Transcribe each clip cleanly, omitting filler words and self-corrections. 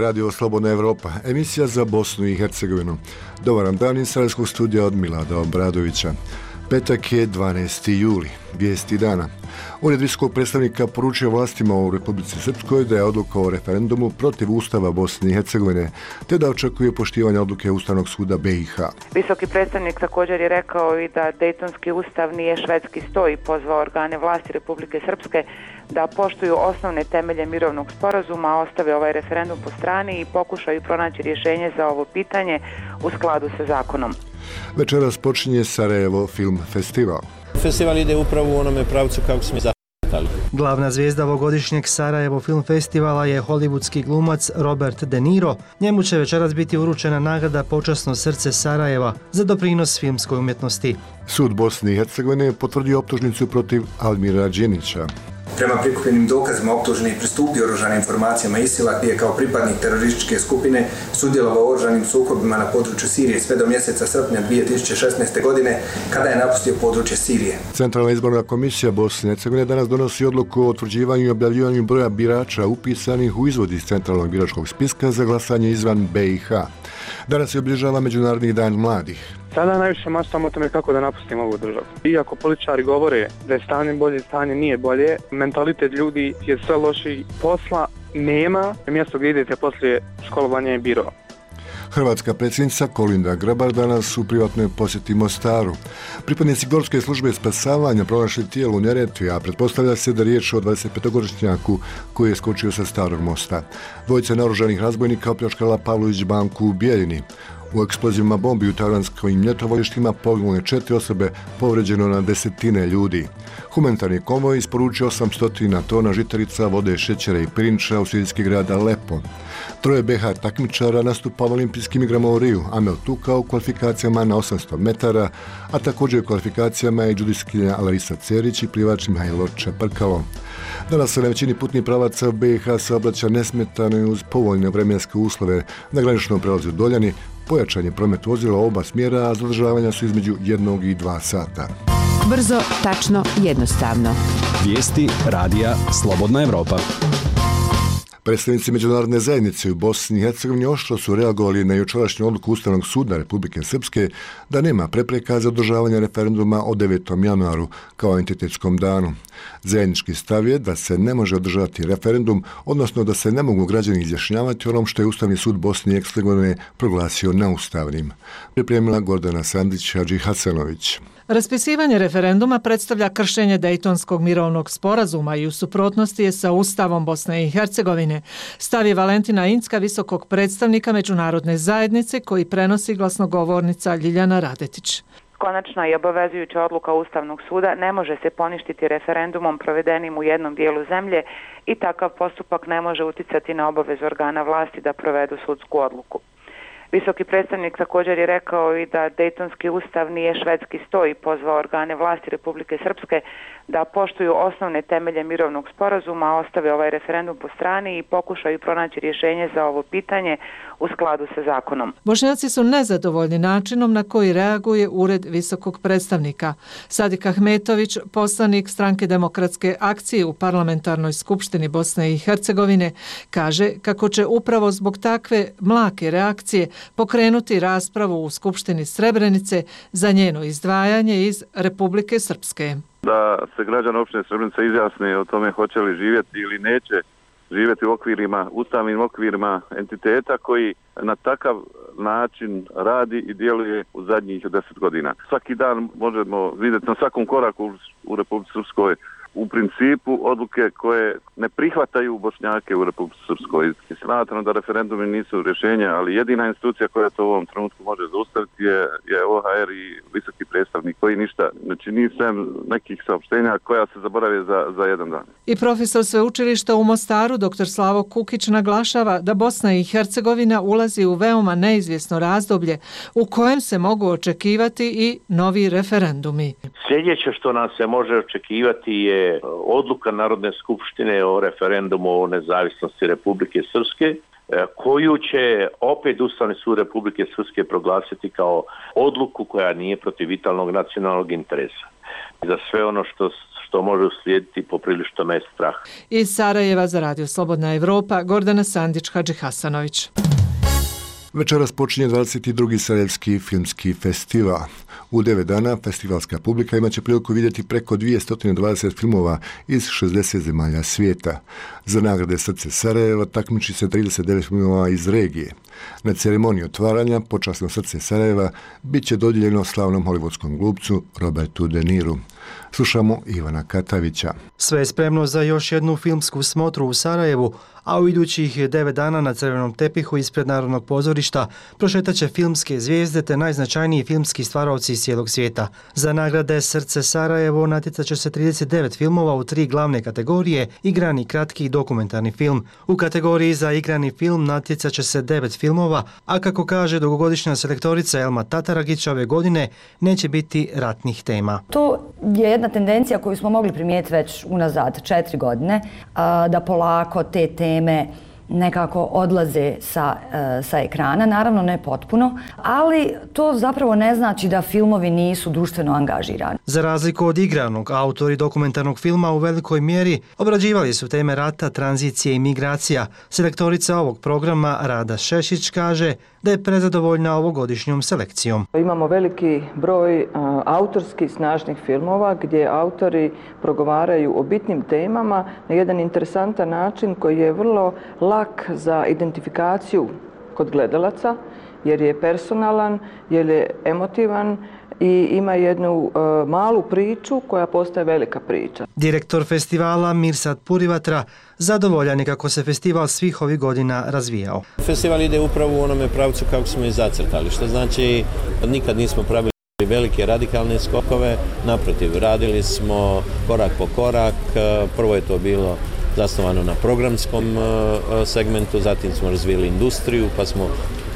Radio Slobodna Evropa, emisija za Bosnu i Hercegovinu. Dobar vam dan iz Sarajevskog studija od Milada Obradovića. Petak je 12. juli, vijesti dana. Ured visokog predstavnika poručio vlastima u Republici Srpskoj da je odluka o referendumu protiv Ustava Bosne i Hercegovine, te da očekuje poštivanje odluke Ustavnog suda BiH. Visoki predstavnik također je rekao i da Dejtonski ustav nije švedski sto i pozvao organe vlasti Republike Srpske da poštuju osnovne temelje mirovnog sporazuma, ostave ovaj referendum po strani i pokušaju pronaći rješenje za ovo pitanje u skladu sa zakonom. Večeras počinje Sarajevo Film Festival. Festival ide upravo u onome pravcu kako smo zacrtali. Glavna zvijezda ovogodišnjeg Sarajevo Film Festivala je hollywoodski glumac Robert De Niro. Njemu će večeras biti uručena nagrada Počasno srce Sarajeva za doprinos filmskoj umjetnosti. Sud Bosne i Hercegovine je potvrdio optužnicu protiv Almira Đenića. Prema prikupljenim dokazima optuženi pristupio oružanim informacijama ISIL-a gdje je kao pripadnik terorističke skupine sudjelovao u oružanim sukobima na području Sirije sve do mjeseca srpnja 2016. godine kada je napustio područje Sirije. Centralna izborna komisija Bosne i Hercegovine danas donosi odluku o utvrđivanju i objavljivanju broja birača upisanih u izvod iz centralnog biračkog spiska za glasanje izvan BiH. Danas je obilježava Međunarodni dan mladih. Sada najviše maštamo o tome kako da napustimo ovu državu. Iako političari govore da je stanje bolje, stanje nije bolje, mentalitet ljudi je sve lošiji, posla nema, mjesto gdje idete poslije školovanja je biro. Hrvatska predsjednica Kolinda Grabar danas u privatnoj posjeti Mostaru. Pripadnici Gorske službe spasavanja pronašli tijelo u Neretvi, a pretpostavlja se da riječ o 25-godišnjaku koji je skočio sa Starog mosta. Dvojica naoružanih razbojnika opljačkala Pavlović banku u Bijeljini. U eksplozivima bombi u talijanskim ljetovalištima poginule 4 osobe, povređeno na desetine ljudi. Humanitarni konvoj isporučio 800 tona žitarica, vode, šećera i pirinča u sirijski grad Alepo. 3 BiH takmičara nastupa u olimpijskim igrama u Riju, Amel Tuka u kvalifikacijama na 800 metara, a također u kvalifikacijama i judiskinja Larisa Cerić i plivač Mihajlo Čeprkalo. Danas se na većini putnih pravaca u BiH saobraća nesmetano i uz povoljne vremenske uslove na graničnom prelazu Doljani. Pojačan je promet vozila oba smjera, a zadržavanja su između 1 i 2 sata. Brzo, tačno, jednostavno. Vijesti radija Slobodna Evropa. Predstavnici međunarodne zajednice u Bosni i Hercegovini oštro su reagovali na jučerašnju odluku Ustavnog suda Republike Srpske da nema prepreka za održavanje referenduma o 9. januaru kao entitetskom danu. Zajednički stav je da se ne može održati referendum, odnosno da se ne mogu građani izjašnjavati onom što je Ustavni sud Bosne i Hercegovine proglasio neustavnim. Pripremila Gordana Sandić Hadži Hasanović. Raspisivanje referenduma predstavlja kršenje Dejtonskog mirovnog sporazuma i u suprotnosti je sa Ustavom Bosne i Hercegovine. Stav je Valentina Incka, visokog predstavnika međunarodne zajednice, koji prenosi glasnogovornica Ljiljana Radetić. Konačna i obavezujuća odluka Ustavnog suda ne može se poništiti referendumom provedenim u jednom dijelu zemlje i takav postupak ne može uticati na obavezu organa vlasti da provedu sudsku odluku. Visoki predstavnik također je rekao i da Dejtonski ustav nije švedski sto i pozvao organe vlasti Republike Srpske da poštuju osnovne temelje mirovnog sporazuma, ostave ovaj referendum po strani i pokušaju pronaći rješenje za ovo pitanje u skladu sa zakonom. Bošnjaci su nezadovoljni načinom na koji reaguje Ured visokog predstavnika. Sadik Ahmetović, poslanik Stranke demokratske akcije u Parlamentarnoj skupštini Bosne i Hercegovine, kaže kako će upravo zbog takve mlake reakcije pokrenuti raspravu u Skupštini Srebrenice za njeno izdvajanje iz Republike Srpske. Da se građani opštine Srebrenica izjasne o tome hoće li živjeti ili neće živjeti u okvirima, ustavnim okvirima entiteta koji na takav način radi i djeluje u zadnjih 10 godina. Svaki dan možemo vidjeti na svakom koraku u Republici Srpskoj u principu odluke koje ne prihvataju Bošnjake u Republici Srpskoj. Smatram da referendumi nisu rješenja, ali jedina institucija koja to u ovom trenutku može zaustaviti je OHR i visoki predstavnik koji ništa ne čini sem nekih saopštenja koja se zaborave za jedan dan. I profesor sveučilišta u Mostaru, dr. Slavo Kukić, naglašava da Bosna i Hercegovina ulazi u veoma neizvjesno razdoblje u kojem se mogu očekivati i novi referendumi. Sljedeće što nam se može očekivati je odluka Narodne skupštine o referendumu o nezavisnosti Republike Srpske, koju će opet Ustavni sud Republike Srpske proglasiti kao odluku koja nije protiv vitalnog nacionalnog interesa. Za sve ono što što može uslijediti poprilično me strah. Iz Sarajeva za Radio Slobodna Evropa, Gordana Sandić, Hadži Hasanović. Večeras počinje 22. Sarajevski filmski festival. U 9 dana festivalska publika imaće priliku vidjeti preko 220 filmova iz 60 zemalja svijeta. Za nagrade Srce Sarajeva takmiči se 39 filmova iz regije. Na ceremoniji otvaranja počasno Srce Sarajeva bit će dodijeljeno slavnom hollywoodskom glumcu Robertu De Niru. Slušamo Ivana Katavića. Sve je spremno za još jednu filmsku smotru u Sarajevu, a u idućih 9 dana na crvenom tepihu ispred Narodnog pozorišta prošetaće filmske zvijezde te najznačajniji filmski stvaraoci iz cijelog svijeta. Za nagrade Srce Sarajevo natjecat će se 39 filmova u 3 glavne kategorije: igrani, kratki i dokumentarni film. U kategoriji za igrani film natjecat će se 9 filmova, a kako kaže dugogodišnja selektorica Elma Tataragić, ove godine neće biti ratnih tema. To je jedna tendencija koju smo mogli primijetiti već unazad 4 godine, da polako te teme nekako odlaze sa ekrana, naravno ne potpuno, ali to zapravo ne znači da filmovi nisu društveno angažirani. Za razliku od igranog, autori dokumentarnog filma u velikoj mjeri obrađivali su teme rata, tranzicije i migracija. Selektorica ovog programa Rada Šešić kaže da je prezadovoljna ovogodišnjom selekcijom. Imamo veliki broj autorskih snažnih filmova gdje autori progovaraju o bitnim temama na jedan interesantan način koji je vrlo lak za identifikaciju kod gledalaca, jer je personalan, jer je emotivan i ima jednu malu priču koja postaje velika priča. Direktor festivala Mirsad Purivatra zadovoljan je kako se festival svih ovih godina razvijao. Festival ide upravo u onome pravcu kako smo i zacrtali, što znači nikad nismo pravili velike radikalne skokove, naprotiv, radili smo korak po korak. Prvo je to bilo zasnovano na programskom segmentu, zatim smo razvijeli industriju, pa smo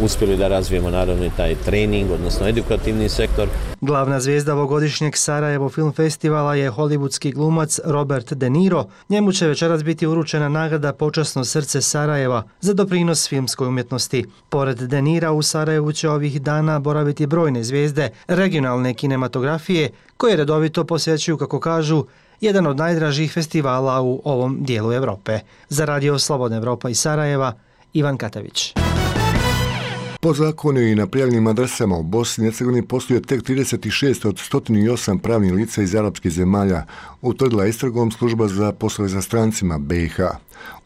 uspjeli da razvijemo naravno i taj trening, odnosno edukativni sektor. Glavna zvijezda ovogodišnjeg Sarajevo Film Festivala je hollywoodski glumac Robert De Niro. Njemu će večeras biti uručena nagrada Počasno srce Sarajeva za doprinos filmskoj umjetnosti. Pored De Nira u Sarajevu će ovih dana boraviti brojne zvijezde regionalne kinematografije koje redovito posjećuju, kako kažu, jedan od najdražih festivala u ovom dijelu Europe. Za Radio Slobodna Evropa iz Sarajeva, Ivan Katavić. Po zakonu i na prijavljenim adresama u Bosni i Hercegovini postoje tek 36 od 108 pravnih lica iz arapskih zemalja, utvrdila istragom služba za poslove za strancima BiH.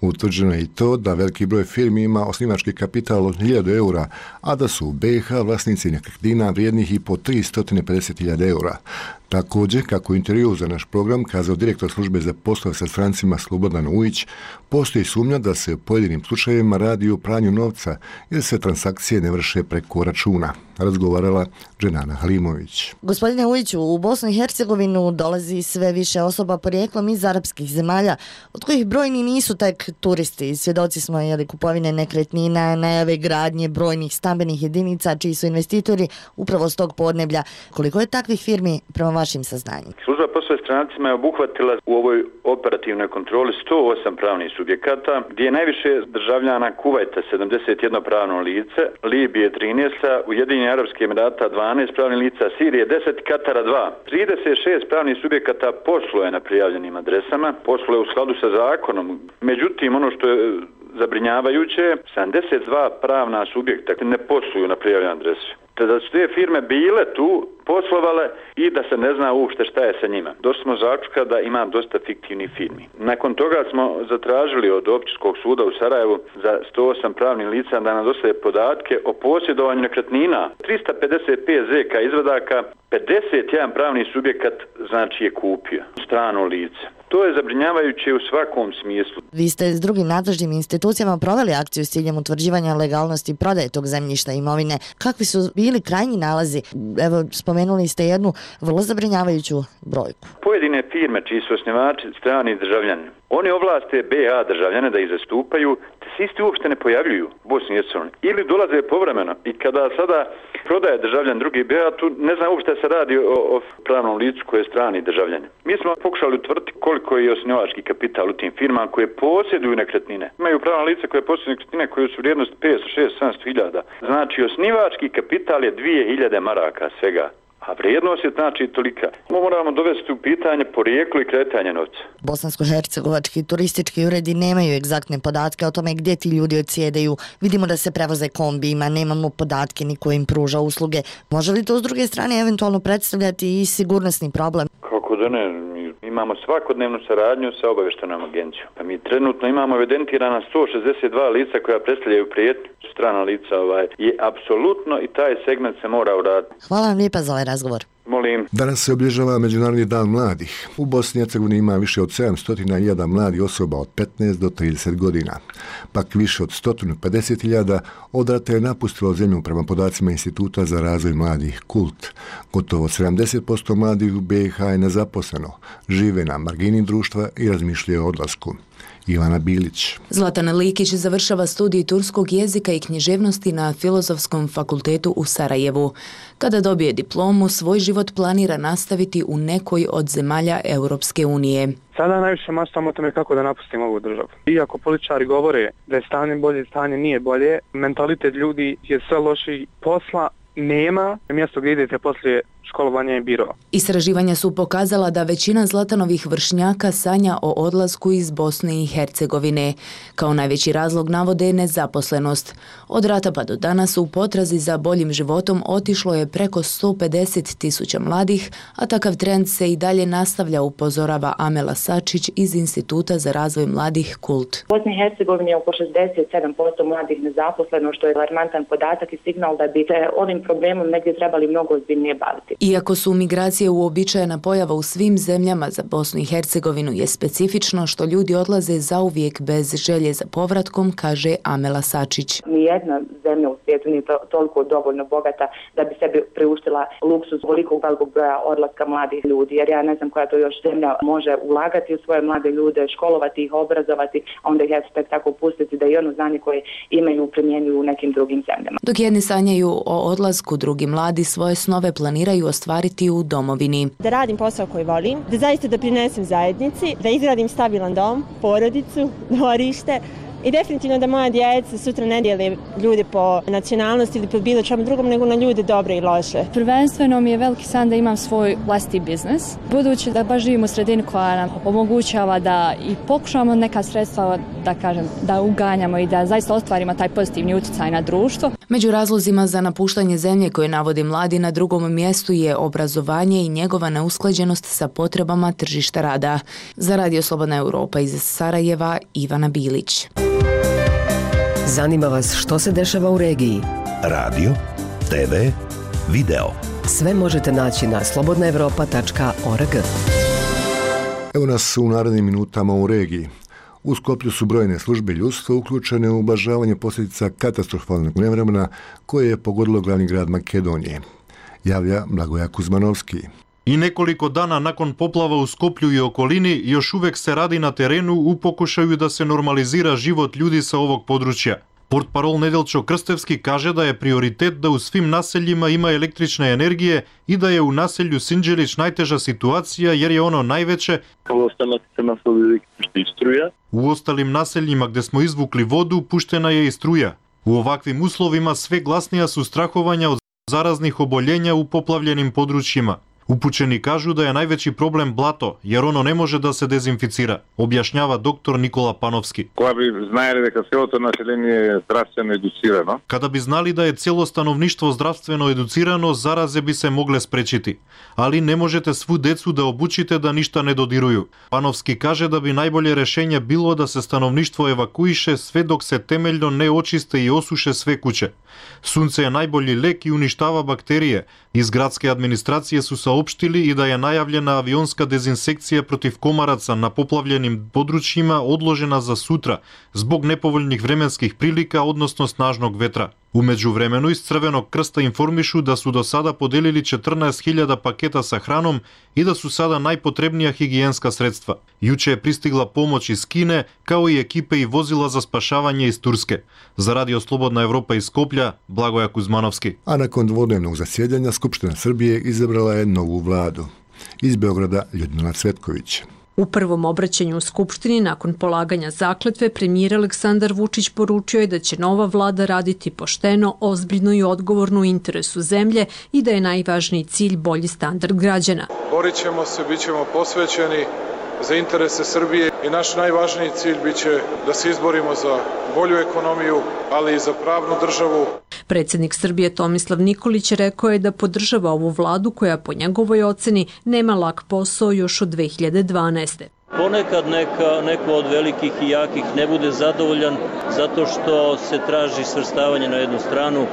Utvrđeno je i to da veliki broj firmi ima osnivački kapital od 1000 eura, a da su u BiH vlasnici nekretnina vrijednih i po 350.000 eura. Također, kako u intervju za naš program kazao direktor službe za poslove sa strancima Slobodan Ujić, postoji sumnja da se u pojedinim slučajevima radi o pranju novca jer se transakcije ne vrše preko računa. Razgovarala Dženana Halimović. Gospodine Ujiću, u Bosnu i Hercegovinu dolazi sve više osoba porijeklom iz arapskih zemalja, od kojih brojni nisu tek turisti. Svjedoci smo kupovine nekretnina, najave gradnje brojnih stambenih jedinica čiji su investitori upravo s tog podneblja. Koliko je takvih firmi prema vašim saznanjima? Služba poslova strancima je obuhvatila u ovoj operativnoj kontroli 108 pravnih subjekata, gdje je najviše državljana Kuvajta 71 pravno lice, Libije 13, Ujedinjenih Arapskih Emirata 12 pravnih lica, Sirije 10, Katara 2. 36 pravnih subjekata posluje na prijavljenim adresama, posluje u skladu sa zakonom. Međutim, ono što je zabrinjavajuće, 72 pravna subjekta ne posluju na prijavljenoj adresi. Te da su te firme bile tu, poslovale i da se ne zna uopšte šta je sa njima. Došli smo zaključka da ima dosta fiktivnih firmi. Nakon toga smo zatražili od Općinskog suda u Sarajevu za 108 pravnih lica da nam dostave podatke o posjedovanju nekretnina. 355 ZK izvadaka, 51 pravni subjekat znači je kupio strano lice. To je zabrinjavajuće u svakom smislu. Vi ste s drugim nadležnim institucijama proveli akciju s ciljem utvrđivanja legalnosti prodaje tog zemljišta i imovine. Kakvi su bili krajnji nalazi? Evo, spomenuli ste jednu vrlo zabrinjavajuću brojku. Pojedine firme čiji su osnivači strani državljani, oni ovlaste BiH državljane da ih zastupaju, te se isti uopšte ne pojavljuju u Bosni i Hercegovini. Ili dolaze povremeno i kada sada prodaje državljan drugi BiH, tu ne znam uopšte se radi o pravnom licu koje je strani državljani. Mi smo pokušali utvrditi koliko je osnivački kapital u tim firmama koje posjeduju nekretnine. Imaju pravna lica koje posjeduju nekretnine koje su vrijednost 500, 600, 700 hiljada. Znači osnivački kapital je 2000 maraka svega. A vrijednost je znači tolika. Moramo dovesti u pitanje porijeklo i kretanje novca. Bosansko-hercegovački turistički uredi nemaju egzaktne podatke o tome gdje ti ljudi odsjedaju. Vidimo da se prevoze kombijima, nemamo podatke ni ko im pruža usluge. Može li to s druge strane eventualno predstavljati i sigurnosni problem? Kako da ne? Imamo svakodnevnu saradnju sa obavještajnom agencijom. Pa mi trenutno imamo evidentirana 162 lica koja predstavljaju prijetnju. Strana lica je apsolutno i taj segment se mora uraditi. Hvala vam lijepa za ovaj razgovor. Molim. Danas se obilježava Međunarodni dan mladih. U Bosni i Hercegovini ima više od 700.000 mladih osoba od 15 do 30 godina. Pak više od 150.000 odrata je napustilo zemlju prema podacima Instituta za razvoj mladih KULT. Gotovo 70% mladih u BiH je nezaposleno, žive na margini društva i razmišljaju o odlasku. Ivana Bilić. Zlatana Likić završava studij turskog jezika i književnosti na Filozofskom fakultetu u Sarajevu. Kada dobije diplomu, svoj život planira nastaviti u nekoj od zemalja Europske unije. Sada najviše maštam o tome kako da napustim ovu državu. Iako političari govore da je stanje bolje, stanje nije bolje, mentalitet ljudi je sve loši, posla nema, mjesto gdje idete poslije školovanja je biro. Istraživanja su pokazala da većina Zlatanovih vršnjaka sanja o odlasku iz Bosne i Hercegovine. Kao najveći razlog navode nezaposlenost. Od rata pa do danas u potrazi za boljim životom otišlo je preko 150.000 mladih, a takav trend se i dalje nastavlja, upozorava Amela Sačić iz Instituta za razvoj mladih KULT. U Bosni i Hercegovini je oko 67% mladih nezaposleno, što je alarmantan podatak i signal da bi se ovim problemom negdje trebali mnogo ozbiljnije baviti. Iako su migracije uobičajena pojava u svim zemljama, za Bosnu i Hercegovinu je specifično što ljudi odlaze zauvijek bez želje za povratkom, kaže Amela Sačić. Nijedna zemlja u svijetu nije toliko dovoljno bogata da bi sebi priuštila luksuz ovolikog velikog broja odlaska mladih ljudi, jer ja ne znam koja to još zemlja može ulagati u svoje mlade ljude, školovati ih, obrazovati, a onda ih tek tako pustiti da i ono znanje koje imaju primjenjuju u nekim drugim zemljama. Dok jedni sanjaju o odlasku, drugi mladi svoje snove planiraju ostvariti u domovini. Da radim posao koji volim, da zaista doprinesem zajednici, da izgradim stabilan dom, porodicu, dvorište i definitivno da moja djeca sutra ne dijele ljude po nacionalnosti ili po bilo čemu drugom, nego na ljude dobre i loše. Prvenstveno mi je veliki san da imam svoj vlastiti biznis, budući da baš živim u sredini koja nam omogućava da i pokušamo neka sredstva, da kažem, da uganjamo i da zaista ostvarimo taj pozitivni utjecaj na društvo. Među razlozima za napuštanje zemlje koje navodi mladi na drugom mjestu je obrazovanje i njegova neusklađenost sa potrebama tržišta rada. Za Radio Slobodna Europa iz Sarajeva, Ivana Bilić. Zanima vas što se dešava u regiji? Radio, TV, video. Sve možete naći na slobodnaevropa.org. Evo nas u narednim minutama u regiji. U Skoplju su brojne službe ljudstva uključene u ublažavanje posljedica katastrofalnog nevremena koje je pogodilo glavni grad Makedonije. Javlja Blagoja Kuzmanovski. I nekoliko dana nakon poplava u Skoplju i okolini još uvijek se radi na terenu u pokušaju da se normalizira život ljudi sa ovog područja. Portparol Nedeljko Krstevski kaže da je prioritet da u svim naseljima ima električne energije i da je u naselju Sinđelić najteža situacija jer je ono najveće. U ostalim naseljima gdje smo izvukli vodu puštena je i struja. U ovakvim uslovima sve glasnija su strahovanja od zaraznih oboljenja u poplavljenim područjima. Upućeni kažu da je najveći problem blato, jer ono ne može da se dezinficira, objašnjava doktor Nikola Panovski. Kada bi znali da je cijelo stanovništvo zdravstveno educirano, zaraze bi se mogle sprečiti. Ali ne možete svu decu da obučite da ništa ne dodiruju. Panovski kaže da bi najbolje rješenje bilo da se stanovništvo evakuiše sve dok se temeljno ne očiste i osuše sve kuće. Sunce je najbolji lek i uništava bakterije. Iz gradske administracije su saopštili i da je najavljena avionska dezinsekcija protiv komaraca na poplavljenim područjima odložena za sutra zbog nepovoljnih vremenskih prilika, odnosno snažnog vetra. U međuvremenu iz Crvenog krsta informišu da su do sada podelili 14.000 paketa sa hranom i da su sada najpotrebnija higijenska sredstva. Juče je pristigla pomoć iz Kine, kao i ekipe i vozila za spašavanje iz Turske. Za Radio Slobodna Evropa iz Skoplja, Blagoja Kuzmanovski. A nakon dvodnevnog zasjedanja Skupština Srbije izabrala je novu vladu. Iz Beograda Ljudmila Cvetković. U prvom obraćanju u Skupštini nakon polaganja zakletve premijer Aleksandar Vučić poručio je da će nova vlada raditi pošteno, ozbiljno i odgovorno u interesu zemlje i da je najvažniji cilj bolji standard građana. Borit ćemo se, bit ćemo posvećeni za interese Srbije i naš najvažniji cilj biće da se izborimo za bolju ekonomiju, ali i za pravnu državu. Predsjednik Srbije Tomislav Nikolić rekao je da podržava ovu vladu koja po njegovoj oceni nema lak posao još od 2012. Ponekad neko od velikih i jakih ne bude zadovoljan zato što se traži svrstavanje na jednu stranu.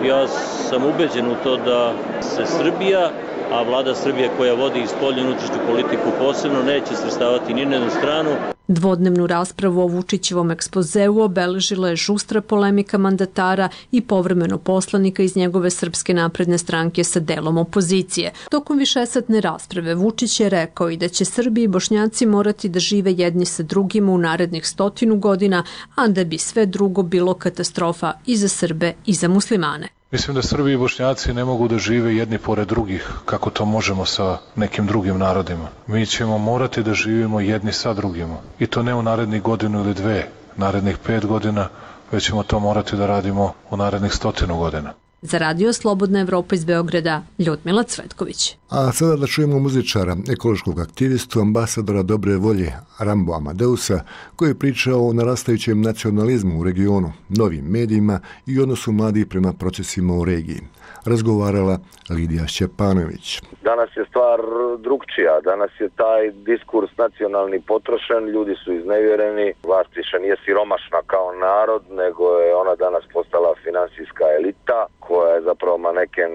Ja sam ubeđen u to da se Srbija, a vlada Srbije koja vodi spoljnu i unutrašnju politiku posebno, neće svrstavati ni na jednu stranu. Dvodnevnu raspravu o Vučićevom ekspozeu obeležila je žustra polemika mandatara i povremeno poslanika iz njegove Srpske napredne stranke sa delom opozicije. Tokom višesatne rasprave Vučić je rekao i da će Srbi i Bošnjaci morati da žive jedni sa drugima u narednih 100 godina, a da bi sve drugo bilo katastrofa i za Srbe i za muslimane. Mislim da Srbi i Bošnjaci ne mogu da žive jedni pored drugih, kako to možemo sa nekim drugim narodima. Mi ćemo morati da živimo jedni sa drugima. I to ne u narednih godinu ili dve, narednih 5 godina, već ćemo to morati da radimo u narednih 100 godina. Za Radio Slobodna Evropa iz Beograda, Ljudmila Cvetković. A sada da čujemo muzičara, ekološkog aktivistu, ambasadora dobre volje Rambo Amadeusa, koji je pričao o narastajućem nacionalizmu u regionu, novim medijima i odnosu mladih prema procesima u regiji. Razgovarala Lidija Šćepanović. Danas je stvar drugčija, danas je taj diskurs nacionalni potrošen, ljudi su iznevjereni, vlast više nije siromašna kao narod, nego je ona danas postala finansijska elita koja je zapravo maneken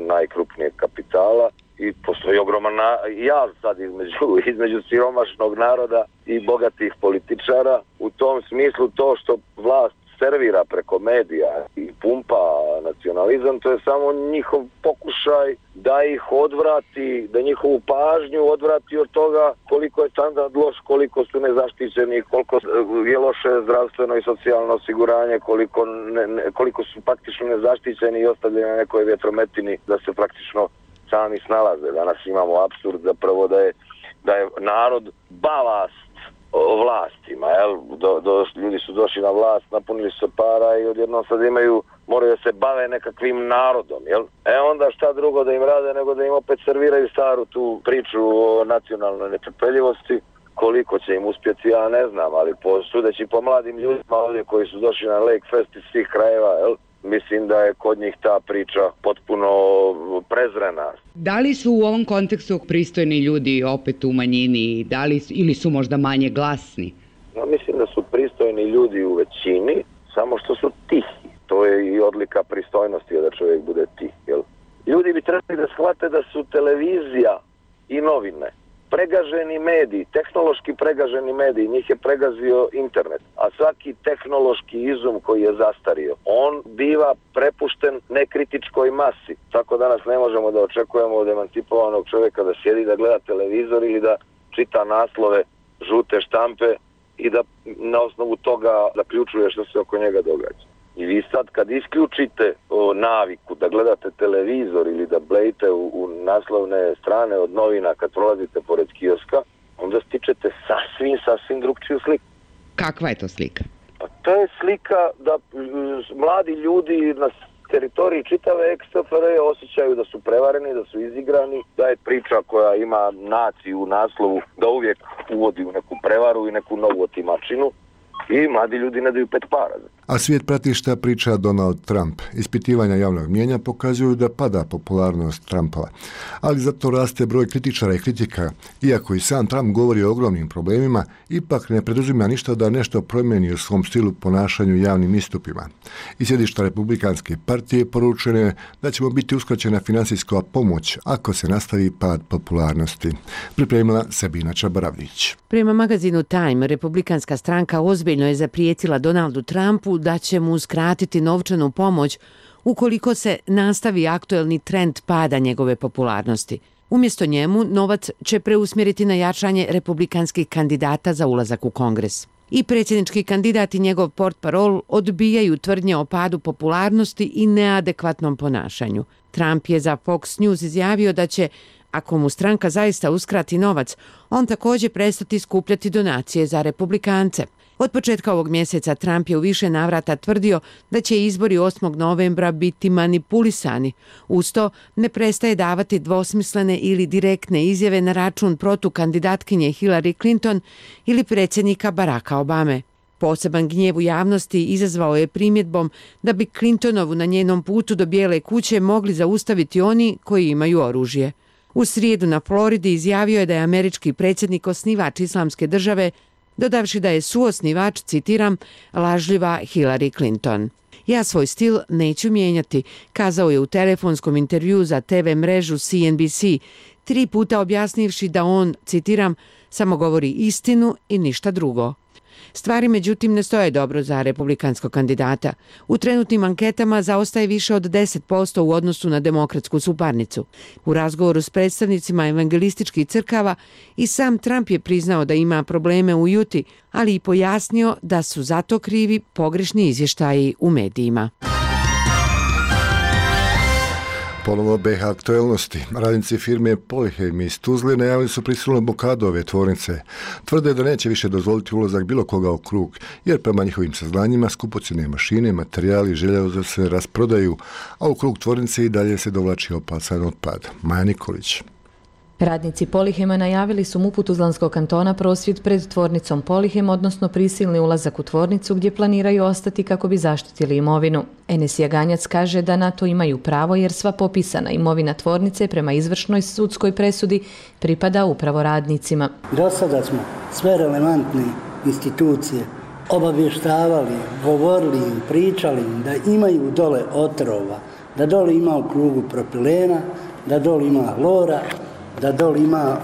najkrupnijeg kapitala i postoji ogroman jaz sad između siromašnog naroda i bogatih političara. U tom smislu to što vlast servira preko medija i pumpa nacionalizam, to je samo njihov pokušaj da ih odvrati, da njihovu pažnju odvrati od toga koliko je standard loš, koliko su nezaštićeni, koliko je loše zdravstveno i socijalno osiguranje, koliko su praktično nezaštićeni i ostavljeni na nekoj vjetrometini da se praktično sami snalaze. Danas imamo apsurd zapravo da je narod balast vlastima, ljudi su došli na vlast, napunili su para i odjednom sad moraju da se bave nekakvim narodom, onda šta drugo da im rade nego da im opet serviraju staru tu priču o nacionalnoj netrpeljivosti. Koliko će im uspjeti, ja ne znam, ali sudeći po mladim ljudima ovdje koji su došli na Lake Fest iz svih krajeva, mislim da je kod njih ta priča potpuno prezrena. Da li su u ovom kontekstu pristojni ljudi opet u manjini, ili su možda manje glasni? Ja mislim da su pristojni ljudi u većini, samo što su tihi. To je i odlika pristojnosti da čovjek bude tih. Ljudi bi trebali da shvate da su televizija i novine pregaženi mediji, tehnološki pregaženi mediji, njih je pregazio internet, a svaki tehnološki izum koji je zastario, on biva prepušten nekritičkoj masi. Tako danas ne možemo da očekujemo od emancipovanog čovjeka da sjedi da gleda televizor ili da čita naslove žute štampe i da na osnovu toga zaključuje što se oko njega događa. I vi sad kad isključite naviku da gledate televizor ili da blejite u naslovne strane od novina kad prolazite pored kioska, onda stičete sasvim drugčiju sliku. Kakva je to slika? Pa to je slika da mladi ljudi na teritoriji čitave ex-SFRJ osjećaju da su prevareni, da su izigrani, da je priča koja ima naciju u naslovu da uvijek uvodi u neku prevaru i neku novu otimačinu. I mladi ljudi ne daju 5 para. A svijet prati šta priča Donald Trump. Ispitivanja javnog mnijenja pokazuju da pada popularnost Trumpova. Ali zato raste broj kritičara i kritika. Iako i sam Trump govori o ogromnim problemima, ipak ne preduzima ništa da nešto promijeni u svom stilu ponašanju javnim istupima. Iz sjedišta Republikanske partije poručeno je da ćemo biti uskraćena finansijska pomoć ako se nastavi pad popularnosti. Pripremila Sabina Čabaravlić. Prema magazinu Time, Republikanska stranka ozbiljno je zaprijetila Donaldu Trumpu da će mu uskratiti novčanu pomoć ukoliko se nastavi aktuelni trend pada njegove popularnosti. Umjesto njemu, novac će preusmjeriti na jačanje republikanskih kandidata za ulazak u Kongres. I predsjednički kandidat i njegov portparol odbijaju tvrdnje o padu popularnosti i neadekvatnom ponašanju. Trump je za Fox News izjavio da će, ako mu stranka zaista uskrati novac, on također prestati skupljati donacije za republikance. Od početka ovog mjeseca Trump je u više navrata tvrdio da će izbori 8. novembra biti manipulisani. Uz to ne prestaje davati dvosmislene ili direktne izjave na račun protukandidatkinje Hillary Clinton ili predsjednika Baracka Obame. Poseban gnjev u javnosti izazvao je primjedbom da bi Clintonovu na njenom putu do Bijele kuće mogli zaustaviti oni koji imaju oružje. U srijedu na Floridi izjavio je da je američki predsjednik osnivač Islamske države, dodavši da je suosnivač, citiram, lažljiva Hillary Clinton. Ja svoj stil neću mijenjati, kazao je u telefonskom intervjuu za TV mrežu CNBC, 3 puta objasnivši da on, citiram, samo govori istinu i ništa drugo. Stvari međutim ne stoje dobro za republikanskog kandidata. U trenutnim anketama zaostaje više od 10% u odnosu na demokratsku suparnicu. U razgovoru s predstavnicima evangelističkih crkava i sam Trump je priznao da ima probleme u Juti, ali i pojasnio da su zato krivi pogrešni izvještaji u medijima. Ponovo BiH aktuelnosti. Radnici firme Polychem iz Tuzle najavili su prisilnu blokadu ove tvornice. Tvrde da neće više dozvoliti ulazak bilo koga u krug, jer prema njihovim saznanjima skupocjene mašine, materijali i željeza se rasprodaju, a u krug tvornice i dalje se dovlači opasan otpad. Maja Nikolić. Radnici Polychema najavili su MUP-u Tuzlanskog kantona prosvjed pred tvornicom Polychem, odnosno prisilni ulazak u tvornicu gdje planiraju ostati kako bi zaštitili imovinu. Enes Jaganjac kaže da na to imaju pravo jer sva popisana imovina tvornice prema izvršnoj sudskoj presudi pripada upravo radnicima. Do sada smo sve relevantne institucije obavještavali, govorili im, pričali im da imaju dole otrova, da dole ima u krugu propilena, da dole ima hlora, da dole ima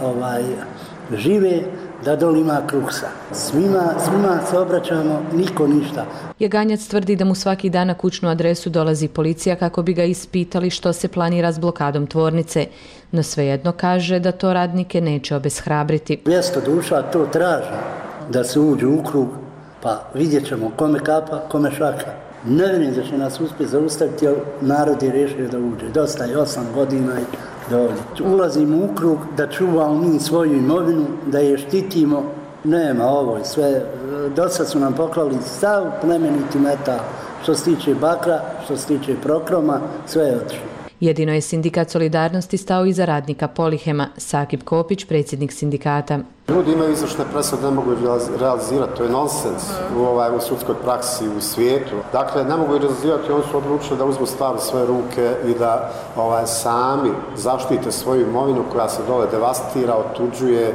žive, da dole ima kruksa. Svima se obraćamo, niko ništa. Jaganjac tvrdi da mu svaki dan na kućnu adresu dolazi policija kako bi ga ispitali što se planira s blokadom tvornice, no svejedno kaže da to radnike neće obeshrabriti. 200 duša to traži da se uđe u krug, pa vidjet ćemo kome kapa, kome šaka. Ne vjerujem da će nas uspjeti zaustaviti, jer narod je rješio da uđe. Dosta je 8 godina i dođe. Ulazimo u krug da čuvamo mi svoju imovinu, da je štitimo. Nema ovo i sve. Dosta su nam poklali sav plemeniti metal. Što se tiče bakra, što se tiče prokroma, sve je otišlo. Jedino je sindikat Solidarnosti stao iza radnika Polychema. Sakib Kopić, predsjednik sindikata. Ljudi imaju izvršne presude, ne mogu realizirati, to je nonsens u sudskoj praksi u svijetu. Dakle, ne mogu realizirati, oni su odlučili da uzmu stvar u svoje ruke i da sami zaštite svoju imovinu koja se dole devastira, otuđuje,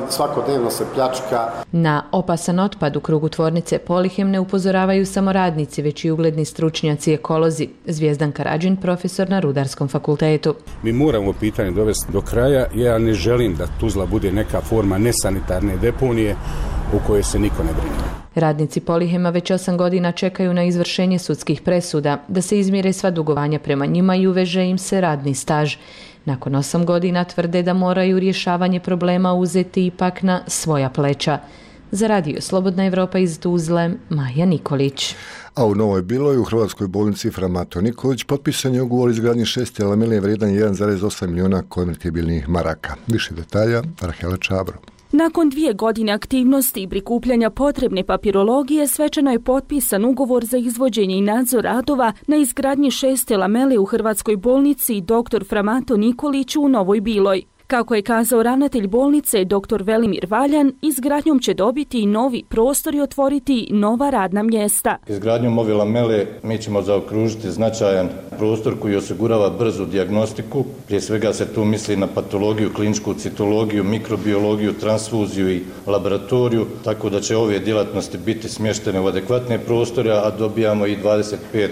svakodnevno se pljačka. Na opasan otpad u krugu tvornice Polychem ne upozoravaju samo radnici, već i ugledni stručnjaci ekolozi. Zvijezdan Karadžin, profesor na Rudarskom fakultetu. Mi moramo pitanje dovesti do kraja. Ja ne želim da Tuzla bude neka forma nesanitarne deponije u kojoj se niko ne brine. Radnici Polychema već 8 godina čekaju na izvršenje sudskih presuda, da se izmjere sva dugovanja prema njima i uveže im se radni staž. Nakon 8 godina tvrde da moraju rješavanje problema uzeti ipak na svoja pleća. Za Radio Slobodna Evropa iz Tuzle, Maja Nikolić. A u Novoj Biloj u Hrvatskoj bolnici Fra Mato Nikolić potpisan je ugovor izgradnje 6 lamelije vrijedan 1,8 milijuna konvertibilnih maraka. Više detalja, Rahela Čabro. Nakon 2 godine aktivnosti i prikupljanja potrebne papirologije, svečano je potpisan ugovor za izvođenje i nadzor radova na izgradnji 6 lamele u Hrvatskoj bolnici dr. Fra Mato Nikolić u Novoj Biloj. Kako je kazao ravnatelj bolnice dr. Velimir Valjan, izgradnjom će dobiti i novi prostor i otvoriti nova radna mjesta. Izgradnjom ove lamele mi ćemo zaokružiti značajan prostor koji osigurava brzu dijagnostiku. Prije svega se tu misli na patologiju, kliničku citologiju, mikrobiologiju, transfuziju i laboratoriju, tako da će ove djelatnosti biti smještene u adekvatne prostore, a dobijamo i 25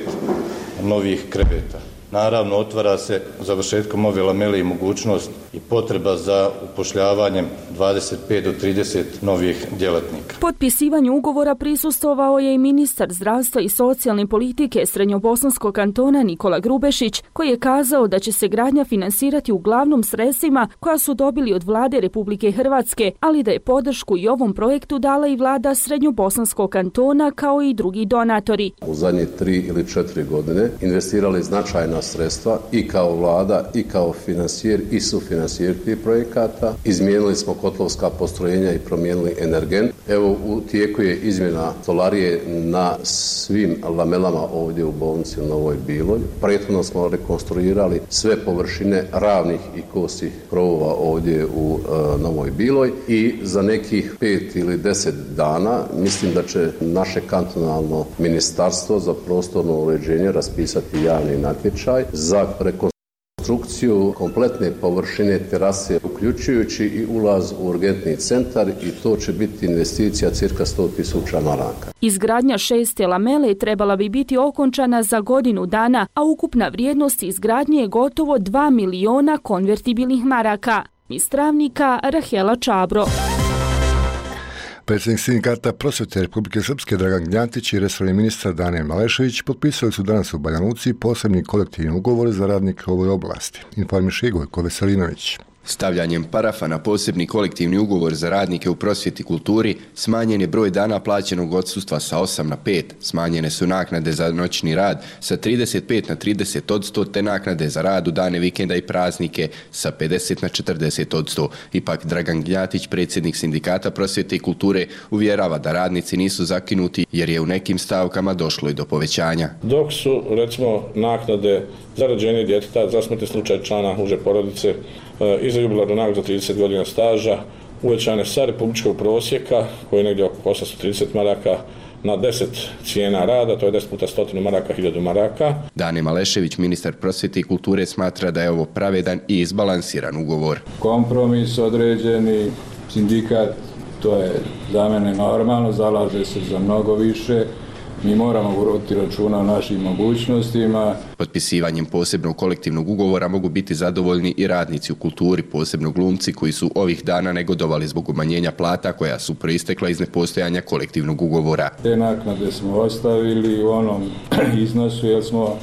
novih kreveta. Naravno, otvara se završetkom ove lamele i mogućnost i potreba za upošljavanjem 25 do 30 novih djelatnika. Potpisivanju ugovora prisustvovao je i ministar zdravstva i socijalne politike Srednjobosanskog kantona Nikola Grubešić, koji je kazao da će se gradnja finansirati uglavnom sredstvima koja su dobili od vlade Republike Hrvatske, ali da je podršku i ovom projektu dala i vlada Srednjobosanskog kantona kao i drugi donatori. U zadnje 3 ili 4 godine investirali značajna značajna sredstva i kao vlada i kao financijer i sufinancijer tih projekata. Izmijenili smo kotlovska postrojenja i promijenili energent. Evo u tijeku je izmjena stolarije na svim lamelama ovdje u bolnici u Novoj Biloj. Prethodno smo rekonstruirali sve površine ravnih i kosih krovova ovdje u Novoj Biloj i za nekih 5 ili 10 dana mislim da će naše kantonalno ministarstvo za prostorno uređenje raspisati javni natječaj za rekonstrukciju kompletne površine terase, uključujući i ulaz u urgentni centar, i to će biti investicija cirka 100.000 maraka. Izgradnja 6. lamele trebala bi biti okončana za godinu dana, a ukupna vrijednost izgradnje je gotovo 2 miliona konvertibilnih maraka. Iz Travnika, Rahela Čabro. Predsjednik sindikata prosvjete Republike Srpske Dragan Gnjatić i resorni ministar Dane Malešević potpisali su danas u Banja Luci posebni kolektivni ugovor za radnike u ovoj oblasti. Informiše Gojko Veselinović. Stavljanjem parafa na posebni kolektivni ugovor za radnike u prosvjeti i kulturi smanjen je broj dana plaćenog odsustva sa 8 na 5, smanjene su naknade za noćni rad sa 35 na 30%, te naknade za rad u dane vikenda i praznike sa 50 na 40%. Ipak Dragan Gnjatić, predsjednik sindikata prosvjete i kulture, uvjerava da radnici nisu zakinuti jer je u nekim stavkama došlo i do povećanja. Dok su, recimo, naknade za rođenje djeteta, za smrtni slučaj člana uže porodice i za jubilarnu nagradu za 30 godina staža uvećane sa republičkog prosjeka, koji je negdje oko 830 maraka, na 10 cijena rada, to je 10 puta 100 maraka, 1000 maraka. Dane Malešević, ministar prosvjete i kulture, smatra da je ovo pravedan i izbalansiran ugovor. Kompromis određeni, sindikat, to je za mene normalno, zalaže se za mnogo više. Mi moramo voditi računa o našim mogućnostima. Potpisivanjem posebnog kolektivnog ugovora mogu biti zadovoljni i radnici u kulturi, posebno glumci koji su ovih dana negodovali zbog umanjenja plata koja su proistekla iz nepostojanja kolektivnog ugovora. Te naknade smo ostavili u onom iznosu jer smo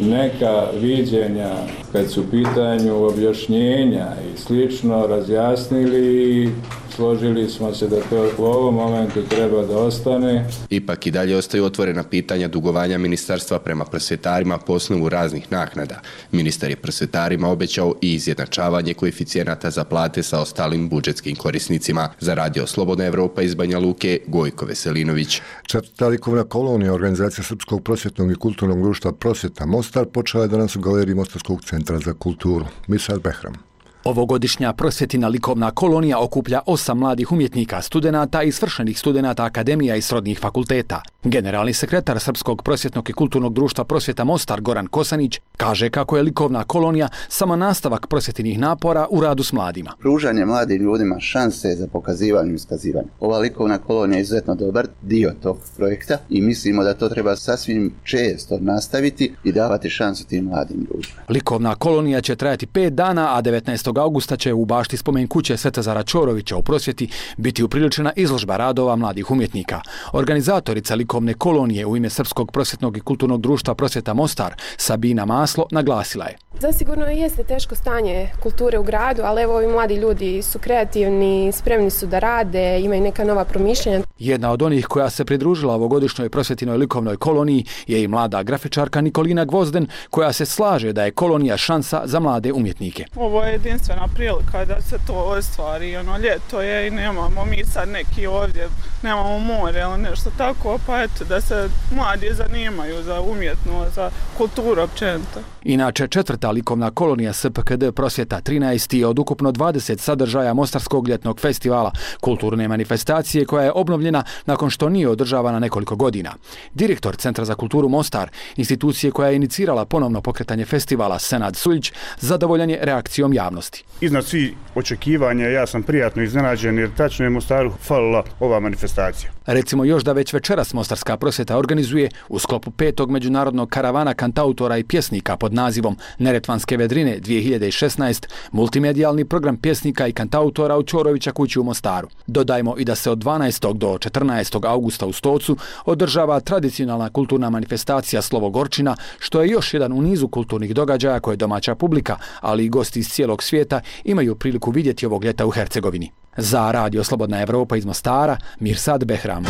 neka viđenja kad su u pitanju objašnjenja i slično razjasnili i složili smo se da to u ovom momentu treba da ostane. Ipak i dalje ostaju otvorena pitanja dugovanja ministarstva prema prosvjetarima po osnovu raznih naknada. Ministar je prosvjetarima obećao i izjednačavanje koeficijenata za plate sa ostalim budžetskim korisnicima. Za Radio Slobodna Evropa iz Banja Luke, Gojko Veselinović. Četvrta likovna kolonija organizacija Srpskog prosvjetnog i kulturnog društva Prosvjeta Mostar počela je danas u galeriji Mostarskog centra za kulturu. Misal Behram. Ovogodišnja prosvjetina likovna kolonija okuplja 8 mladih umjetnika, studenata i svršenih studenata akademija i srodnih fakulteta. Generalni sekretar Srpskog prosvjetnog i kulturnog društva Prosvjeta Mostar Goran Kosanić kaže kako je likovna kolonija samo nastavak prosvjetinih napora u radu s mladima. Pružanje mladim ljudima šanse za pokazivanje i iskazivanje. Ova likovna kolonija je izuzetno dobar dio tog projekta i mislimo da to treba sasvim često nastaviti i davati šansu tim mladim ljudima. Likovna kolonija će trajati 5 dana, a 19. augusta će u bašti spomen kuće Svetozara Ćorovića u prosvjeti biti upriličena izložba radova mladih umjetnika. Organizatorica likovne kolonije u ime Srpskog prosvjetnog i kulturnog društva Prosvjeta Mostar, Sabina Maslo, naglasila je. Zasigurno jeste teško stanje kulture u gradu, ali evo ovi mladi ljudi su kreativni, spremni su da rade, imaju neka nova promišljenja. Jedna od onih koja se pridružila ovogodišnjoj prosvjetinoj likovnoj koloniji je i mlada grafičarka Nikolina Gvozden, koja se slaže da je kolonija šansa za mlade umjetnike. Ovo je jedinstvena prilika da se to ostvari, ljeto je i nemamo mi sad neki ovdje, nemamo more ili nešto tako, pa eto da se mladi zanimaju za umjetnost, za kulturu općenito. Inače, četvrta likovna kolonija SPKD Prosvjeta 13 je od ukupno 20 sadržaja Mostarskog ljetnog festivala, kulturne manifestacije koja je obnovljena nakon što nije održavana nekoliko godina. Direktor Centra za kulturu Mostar, institucije koja je inicirala ponovno pokretanje festivala, Senad Suljić, zadovoljan je reakcijom javnosti. Iznad svih očekivanja ja sam prijatno iznenađen jer tačno je Mostaru falila ova manifestacija. Recimo još da već večeras Mostarska prosvjeta organizuje u sklopu 5. međunarodnog karavana kantautora i pjesnika pod nazivom Neretvanske vedrine 2016 multimedijalni program pjesnika i kantautora u Ćorovića kući u Mostaru. Dodajmo i da se od 12. do 14. augusta u Stocu održava tradicionalna kulturna manifestacija Slovo Gorčina, što je još jedan u nizu kulturnih događaja koje domaća publika, ali i gosti iz cijelog svijeta imaju priliku vidjeti ovog ljeta u Hercegovini. Za Radio Slobodna Evropa iz Mostara, Mirsad Behram.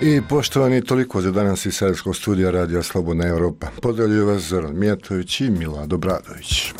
I poštovani, toliko za danas iz Sarajevskog studija Radija Slobodna Europa. Pozdravljuju vas Zoran Mijatović i Milado Bradović.